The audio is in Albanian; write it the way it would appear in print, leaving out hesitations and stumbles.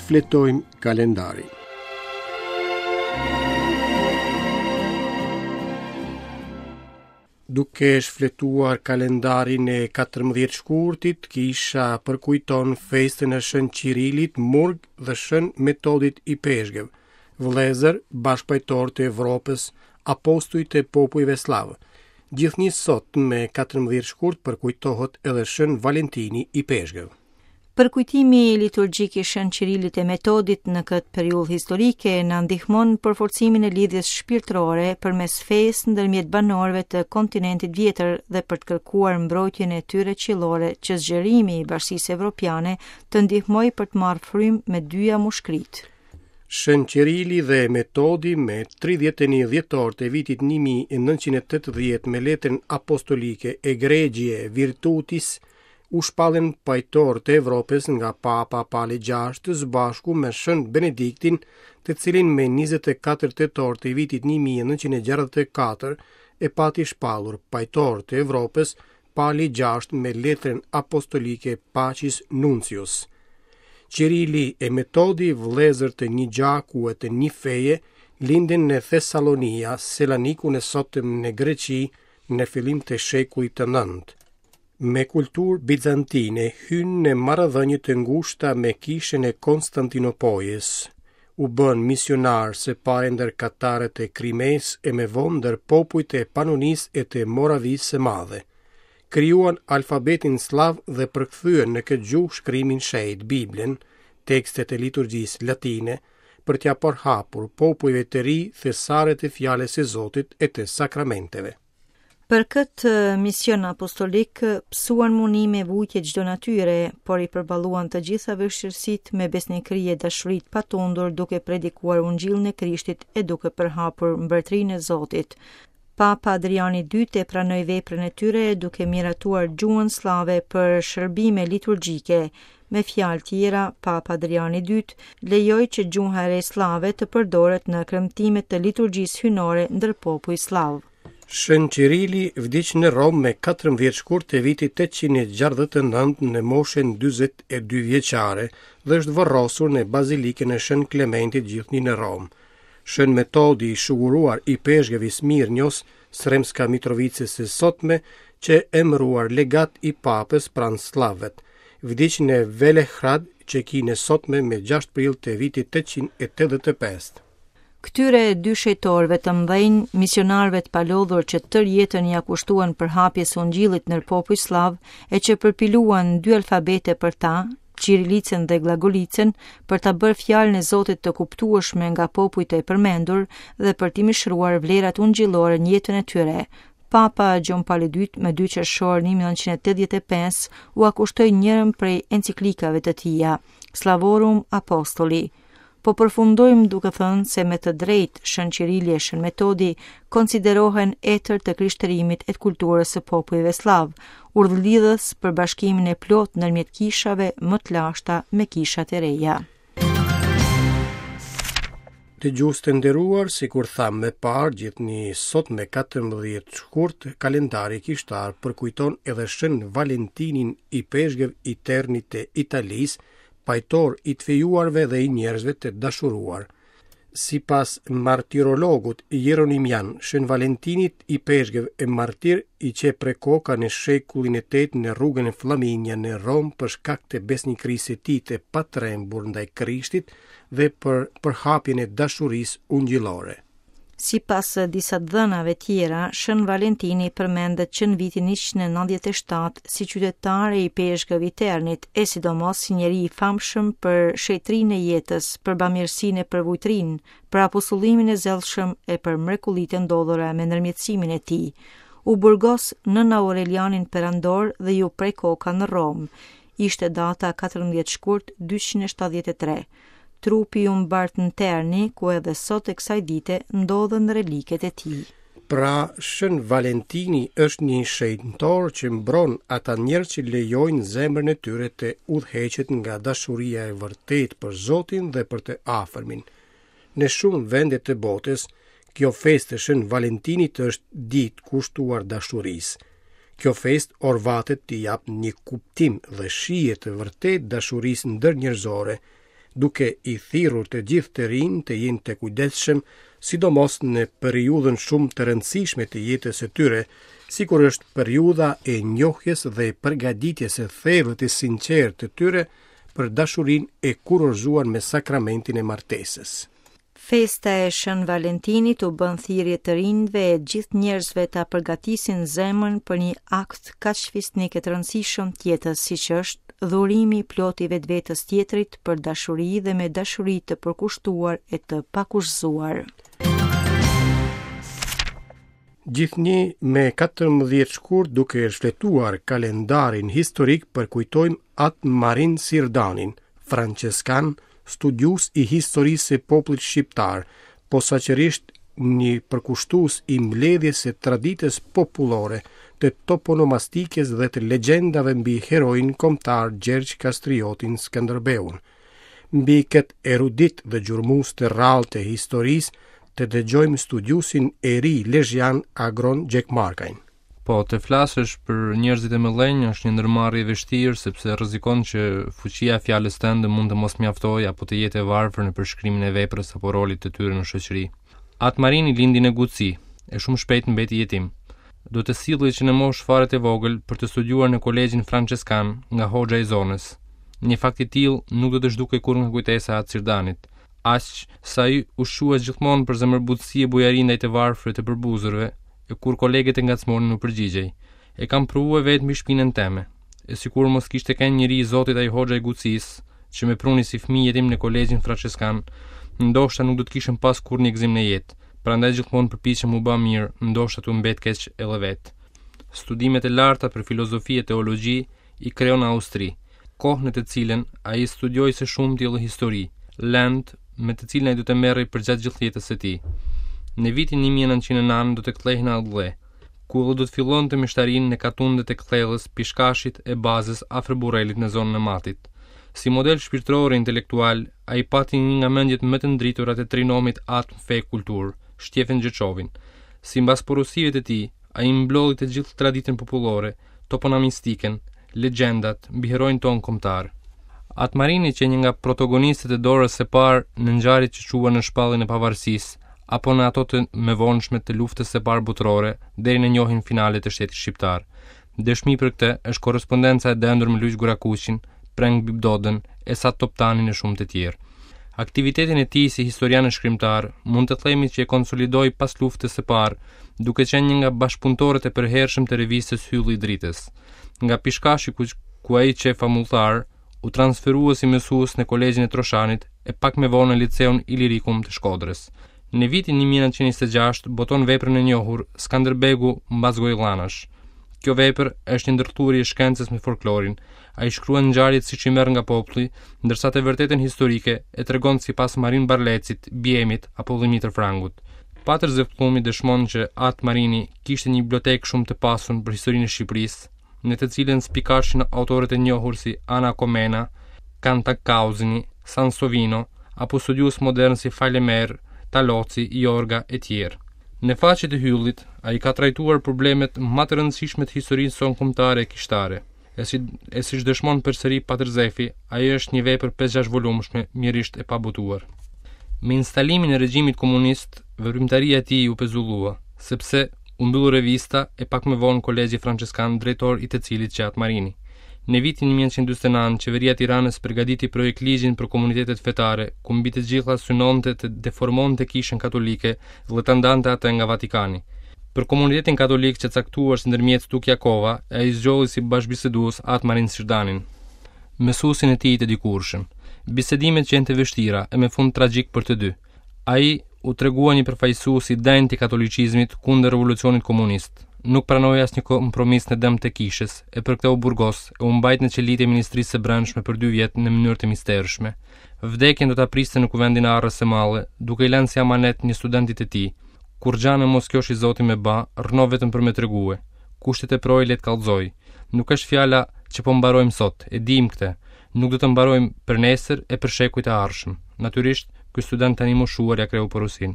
Shfletojmë kalendarin. Duke shfletuar kalendarin e 14 shkurtit, kisha përkujton festën e Shën Qirilit, Murg dhe Shën Metodit Ipeshkëv, vëllezër bashkëpajtorë të Evropës, apostuj të popujve sllavë. Gjithnjë sot me 14 shkurt përkujtohet edhe Shën Valentini Ipeshkëv. Përkujtimi liturgjik i Shën Qirilit e Metodit në këtë periudhë historike na ndihmon për forcimin e lidhjes shpirtërore përmes fesë ndërmjet banorëve të kontinentit vjetër dhe për të kërkuar mbrojtjen e tyre qiellore që zgjerimi i Bashkësisë Evropiane të ndihmojë për të marrë frymë me dyja mushkëritë. Shën Qirili dhe Metodi me 31 dhjetor të vitit 1980 me letrën apostolike Egregiae Virtutis u shpallën pajtorë të Evropës nga Papa Pali VI së bashku me Shën Benediktin, të cilin me 24 tetor të vitit 1964 e pati shpallur pajtor të Evropës Pali VI me letrën apostolike Pacis Nuntius. Qirili e Metodi, vëllezër të një gjaku e të një feje, lindën në Thesalonia, Selanikun e sotëm në Greqi, në fillim të shekullit të nëntë. Me kulturë bizantine hynë në marrëdhënie të ngushta me kishën e Konstantinopojës. U bënë misionarë së pari ndër katarët e Krimesë e më vonë ndër popujt e Panonisë e të Moravisë së Madhe. Krijuan alfabetin sllav dhe përkthyen në këtë gjuhë shkrimin shenjt, Biblën, tekstet e liturgjisë latine, për t'ia përhapur popujve të ri thesaret e fjalës së Zotit e të sakramenteve. Për këtë mision apostolik pësuan munime e vujtje çdo natyre, por i përballuan të gjitha vështirësitë me besnikëri e dashuri të patundur duke predikuar ungjillin e Krishtit e duke përhapur mbretërinë e Zotit. Papa Adriani II e pranoi veprën e tyre duke miratuar gjuhën sllave për shërbime liturgjike. Me fjalë tjera, Papa Adriani II lejoi që gjuha e re sllave të përdoret në kremtimet të liturgjisë hyjnore ndër popuj sllavë. Shën Qirili vdiq në Romë me 14 shkurt të vitit 869 në moshën 42 vjeçare dhe është varrosur në Bazilikën e Shën Klementit gjithnjë në Romë. Shën Metodi i shuguruar ipeshkëv i Smirnjos, Sremska Mitrovicës së sotme, qe emëruar legat i papës pranë sllavëve. Vdiq në Velehrad, Çekinë e sotme me 6 prill të vitit 885. Këtyre dy shenjtorëve të mëdhenj, misionarëve të palodhur që tërë jetën ia kushtuan përhapjes së ungjillit ndër popuj sllavë e që përpiluan dy alfabete për ta, Qirilicën dhe Glagolicën, për ta bërë fjalën e Zotit të kuptueshme nga popujt e përmendur dhe për t'i mishëruar vlerat ungjillore në jetën e tyre. Papa Gjon Pali II më 2 qershor 1985 ua kushtoi njërën prej enciklikave të tija, Slavorum Apostoli. Po përfundojmë duke thënë se me të drejtë Shën Qirili e Shën Metodi konsiderohen etër të krishterimit e të kulturës së popujve sllavë, udhëlidhës për bashkimin e plotë ndërmjet kishave më të lashta me kishat e reja. Dëgjues të nderuar, sikur thamë më parë, gjithnjë sot me 14 shkurt, kalendari kishtar përkujton edhe Shën Valentinin ipeshkëv i Ternit të Italisë, pajtor i të fejuarve dhe i njerëzve të dashuruar. Sipas martirologut Jeronimian, Shën Valentinit ipeshkëv e martir i qe pre koka në shekullin e 8 në rrugën e Flaminia në Romë për shkak të besnikërisë së tij të patrembur ndaj Krishtit dhe për përhapjen e dashurisë ungjillore. Sipas disa të dhënave tjera, Shën Valentini përmendet që në vitin 197 si qytetar e ipeshkëv i Ternit, e sidomos si njeri i famshëm për shenjtërinë e jetës, për bamirësinë e përvujtërinë, për apostullimin e zellshëm e për mrekullitë e ndodhura me ndërmjetësimin e tij. U burgos nën Aurelianin perandor dhe iu pre koka në Romë. Ishte data 14 shkurt 273. Trupi u mbart në Terni, ku edhe sot e kësaj dite ndodhen reliket e tij. Pra, Shën Valentini është një shenjtor që mbron ata njerëz që lejojnë zemrën e tyre të udhëheqet nga dashuria e vërtetë për Zotin dhe për të afërmin. Në shumë vende të botës, kjo festë e Shën Valentinit është ditë kushtuar dashurisë. Kjo festë orvatet t'i japë një kuptim dhe shije të vërtetë dashurisë ndërnjerëzore. duke i thirrur të gjithë të rinjtë të jenë të kujdesshëm, sidomos në periudhën shumë të rëndësishme të jetës së tyre, sikur është periudha e njohjes dhe përgatitjes së thellë të sinqertë të tyre për dashurinë e kurorëzuar me sakramentin e martesës. Festa e Shën Valentinit u bën thirrje të rinjve e gjithë njerëzve ta përgatisin zemrën për një akt kaq fisnik e të rëndësishëm të jetës siç është dhurimi i plotë i vetvetes tjetrit për dashuri dhe me dashuri të përkushtuar e të pakushtëzuar. Gjithnjë me 14 shkurt duke shfletuar kalendarin historik përkujtojmë At Marin Sirdanin, françeskan, studiues i historisë së popullit shqiptar, posaçërisht një përkushtues i mbledhjes së traditës popullore, të toponomastikës dhe të legjendave mbi heroin kombëtar Gjergj Kastriotin Skënderbeun. Mbi këtë erudit dhe gjurmues të rrallë të historisë, të dëgjojmë studiuesin e ri lezhjan Agron Gjekmarkajn. Po, të flasësh për njerëzit e mëdhenj është një ndërmarrje e vështirë sepse rrezikon që fuqia e fjalës tënde mund të mos mjaftojë apo të jetë e varfër në përshkrimin e veprës apo rolit të tyre në shoqëri. At Marini lindi në Guci, e shumë shpejt mbeti jetim. Do të sillej që në moshë fare të vogël për të studiuar në kolegjin françeskan nga hoxha i zonës. Një fakt i tillë nuk do të zhdukej kurrë nga kujtesa e At Sirdanit, aq sa ai u shqua gjithmonë për zemërbutësi e bujari ndaj të varfërve e të përbuzurve, e kur kolegët e ngacmonin u përgjigjej. E kam provue vetë mbi shpinën teme. E sikur mos kishte kenë njeri i Zotit ai hoxha i Gucisë, që me pruni si fëmijë jetim në kolegjin françeskan, ndoshta nuk do të kishim pas kurrë një gëzim në jetë. Prandaj gjithmonë përpiqem m'u ba mirë, ndoshta tu mbet keq edhe vetë. Studimet e larta për filozofi e teologji i kreu në Austri, kohë në të cilën ai studioi së shumti edhe histori, lëndë me të cilën ai do të merrej përgjatë gjithë jetës së tij. Në vitin 1909 do të kthehej në atdhe, ku edhe do të fillonte meshtarinë në katundet e Kthellës, Pishkashit e Bazës afër Burrelit në zonën e Matit. Si model shpirtëror e intelektual, ai pati një nga mendjet më të ndritura të trinomit atm fe kulturë, Shtjefen Gjeçovin. Simbas porosive të tij, ai mblodhi të gjithë traditën popullore, toponomastikën, legjendat mbi heroin tonë kombëtar. At Marini qe një nga protagonistët e dorës së parë në ngjarjet që çuan në shpalljen e pavarësisë, apo në ato të mëvonshme të luftës së parë botërore, deri në njohjen finale të shtetit shqiptar. Dëshmi për këtë është korrespondenca e dendur me Luigj Gurakuqin, Preng Bibdodën, Esat Toptanin e shumë të tjerë. Aktivitetin e tij si historian e shkrimtar, mund të themi që e konsolidoi pas luftës së parë, duke qenë një nga bashkëpunëtorët e përhershëm të revistës Hylli i Dritës. Nga Pishkashi ku, ku ai qe famulltar, u transferua si mësues në kolegjin e Troshanit e pak më vonë në liceun Ilirikum të Shkodrës. Në vitin 1926 boton veprën e njohur Skanderbegu mbas gojëdhënash. Kjo vepër është një ndërthurje e shkencës me folklorin. Ai shkruan ngjarjet siç i merr nga populli, ndërsa të vërtetën historike e tregon sipas Marin Barlecit, Biemit apo Dhimitër Frangut. Patër Zef Pllumi dëshmon që At Marini kishte një bibliotekë shumë të pasur për historinë e Shqipërisë, në të cilën spikashin autorët e njohur si Ana Komena, Kantakauzini, Sansovino, apo studiues modernë si Falemer, Taloci, Jorga e tjerë. Në faqet e Hyllit, ai ka trajtuar problemet më të rëndësishme të historisë sonë kombëtare e kishtare. E si e siç dëshmon përsëri Patër Zefi, ajo është një vepër 5-6 volumshme, mjerisht e pabotuar. Me instalimin e regjimit komunist, veprimtaria e tij u pezullua, sepse U mbyll revista e pak më vonë Kolegji Françeskan, drejtor i të cilit qe At Marini. Në vitin 1949, qeveria e Tiranës përgatiti projektligjin për komunitetet fetare, ku mbi të gjitha synonte të deformonte Kishën Katolike dhe ta ndante atë nga Vatikani. Për komunitetin katolik qe caktuar si ndërmjetës Tuk Jakova, e ai zgjodhi si bashkëbisedues At Marin Sirdanin, mësuesin e tij të dikurshëm. Bisedimet qenë të vështira e me fund tragjik për të dy. Ai u tregua një përfaqësues i denjë i katolicizmit kundër revolucionit komunist. Nuk pranoi asnjë kompromis në dëm të kishës, e për këtë u burgos e u mbajt në qelitë e Ministrisë së Brendshme për dy vjet në mënyrë të mistershme. Vdekjen do ta priste në kuvendin e Arrës së Madhe, duke i lënë si amanet një studenti të tij. Kurrgja në mos kjosh i zoti me ba, rrno vetëm për me tregue. Kush të teprojë le të kallxojë. Nuk është fjala që po mbarojmë sot, e dimë këtë. Nuk do të mbarojmë për nesër e për shekujt e ardhshëm. Natyrisht, ky student tani i moshuar ia kreu porosinë.